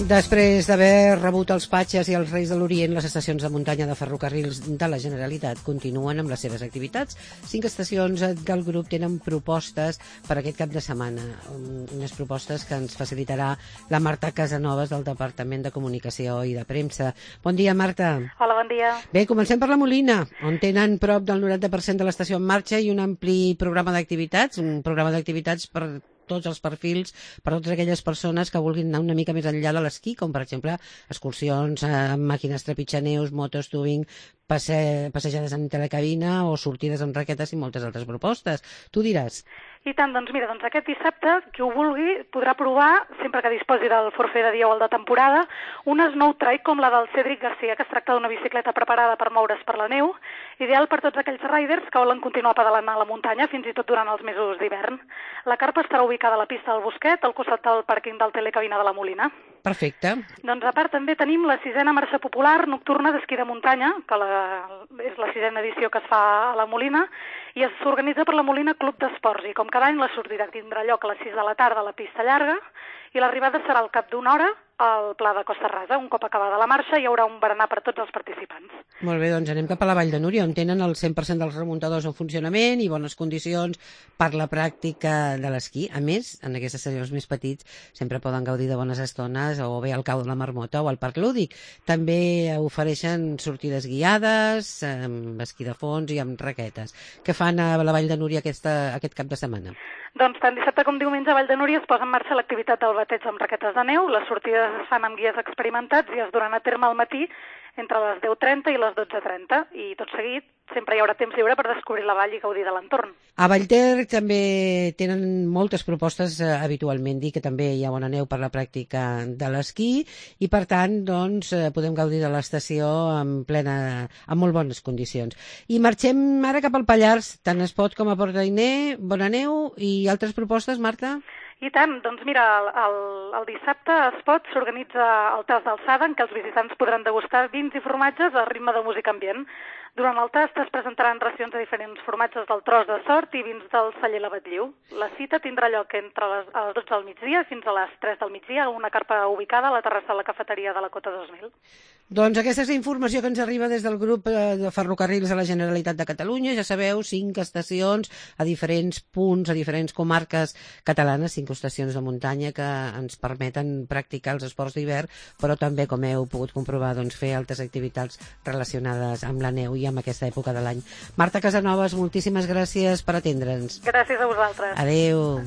Després d'haver rebut els Patges i els Reis de l'Orient, les estacions de muntanya de ferrocarrils de la Generalitat continuen amb les seves activitats. 5 estacions del grup tenen propostes per aquest cap de setmana. Unes propostes que ens facilitarà la Marta Casanovas del Departament de Comunicació i de Premsa. Bon dia, Marta. Hola, bon dia. Bé, comencem per la Molina, on tenen prop del 90% de l'estació en marxa i un ampli programa d'activitats, un programa d'activitats per tots els perfils, per totes aquelles persones que vulguin anar una mica més enllà de l'esquí, com per exemple excursions amb màquines trepitjaneus, motos, tubing, passejades en telecabina o sortides amb raquetes i moltes altres propostes. Tu diràs. I tant, doncs mira, aquest dissabte, qui ho vulgui podrà provar, sempre que disposi del forfait de dia o el de temporada, una snow trike com la del Cédric Garcia, que es tracta d'una bicicleta preparada per moure's per la neu, ideal per tots aquells riders que volen continuar pedalant a la muntanya, fins i tot durant els mesos d'hivern. La carpa estarà ubicada a la pista del Bosquet, al costat del pàrquing del Telecabina de la Molina. Perfecte. Doncs a part també tenim la 6a marxa popular nocturna d'esquí de muntanya, que és la 6a edició que es fa a la Molina, i s'organitza per la Molina Club d'Esports, i com cada any la sortida tindrà lloc a les 6 de la tarda a la pista llarga, i l'arribada serà al cap d'una hora al Pla de Costa Rasa. Un cop acabada la marxa hi haurà un berenar per tots els participants. Molt bé, doncs anem cap a la Vall de Núria, on tenen el 100% dels remuntadors en funcionament i bones condicions per la pràctica de l'esquí. A més, en aquestes estacions més petits sempre poden gaudir de bones estones o bé al cau de la Marmota o al Parc Lúdic. També ofereixen sortides guiades, amb esquí de fons i amb raquetes. Què fan a la Vall de Núria aquest cap de setmana? Doncs tant dissabte com diumenge a Vall de Núria es posa en marxa l'activitat del bateig amb raquetes de neu. Les sortides es fan amb guies experimentats i es duran a terme al matí entre les 10:30 i les 12:30. I tot seguit sempre hi haurà temps lliure per descobrir la vall i gaudir de l'entorn. A Vallter també tenen moltes propostes habitualment, dir que també hi ha bona neu per la pràctica de l'esquí i per tant doncs, podem gaudir de l'estació amb molt bones condicions. I marxem ara cap al Pallars, tant es pot com a Port-Ainé, bona neu i altres propostes, Marta? I tant, doncs mira, el dissabte a Espot s'organitza el tast d'alçada en què els visitants podran degustar vins i formatges a ritme de música ambient. Durant el tast es presentaran racions de diferents formatges del Tros de Sort i vins del celler L'Abatlleu. La cita tindrà lloc entre les 12 del migdia fins a les 3 del migdia a una carpa ubicada a la terrassa de la cafeteria de la Cota 2000. Doncs aquesta és la informació que ens arriba des del grup de ferrocarrils de la Generalitat de Catalunya. Ja sabeu, 5 estacions a diferents punts, a diferents comarques catalanes, 5 estacions de muntanya que ens permeten practicar els esports d'hivern, però també, com heu pogut comprovar, doncs, fer altres activitats relacionades amb la neu i amb aquesta època de l'any. Marta Casanovas, moltíssimes gràcies per atendre'ns. Gràcies a vosaltres. Adéu.